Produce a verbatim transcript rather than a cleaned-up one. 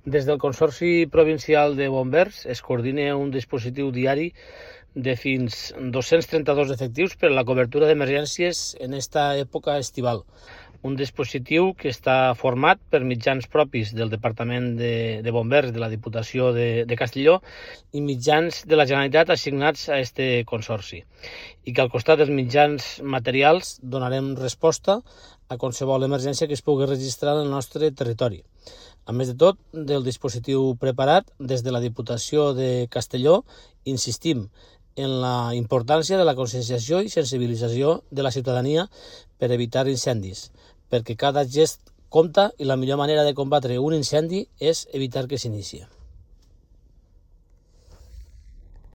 Des del Consorci Provincial de Bombers es coordina un dispositiu diari de fins dos-cents trenta-dos efectius per a la cobertura d'emergències en esta època estival. Un dispositiu que està format per mitjans propis del Departament de, de Bombers de la Diputació de, de Castelló i mitjans de la Generalitat assignats a este consorci, i que al costat dels mitjans materials donarem resposta a qualsevol emergència que es pugui registrar en el nostre territori. A més de tot, del dispositiu preparat, des de la Diputació de Castelló insistim en la importància de la conscienciació i sensibilització de la ciutadania per evitar incendis, perquè cada gest compta i la millor manera de combatre un incendi és evitar que s'inicie.